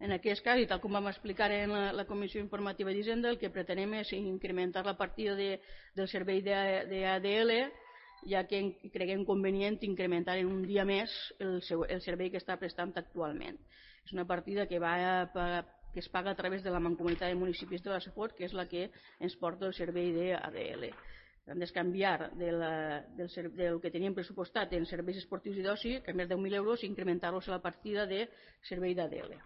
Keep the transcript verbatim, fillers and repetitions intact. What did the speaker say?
En aquest cas, i tal com vam explicar en la, la Comissió Informativa d'Hisenda, el que pretenem és incrementar la partida de, del servei d'A D L, ja que creguem convenient incrementar en un dia més el, seu, el servei que està prestant actualment. És una partida que, va a, que es paga a través de la Mancomunitat de Municipis de la Safor, que és la que ens porta el servei d'A D L. Hem d'escanviar de del, del que teníem pressupostat en serveis esportius i d'oci, que més de deu mil euros, i incrementar-los a la partida de servei d'A D L.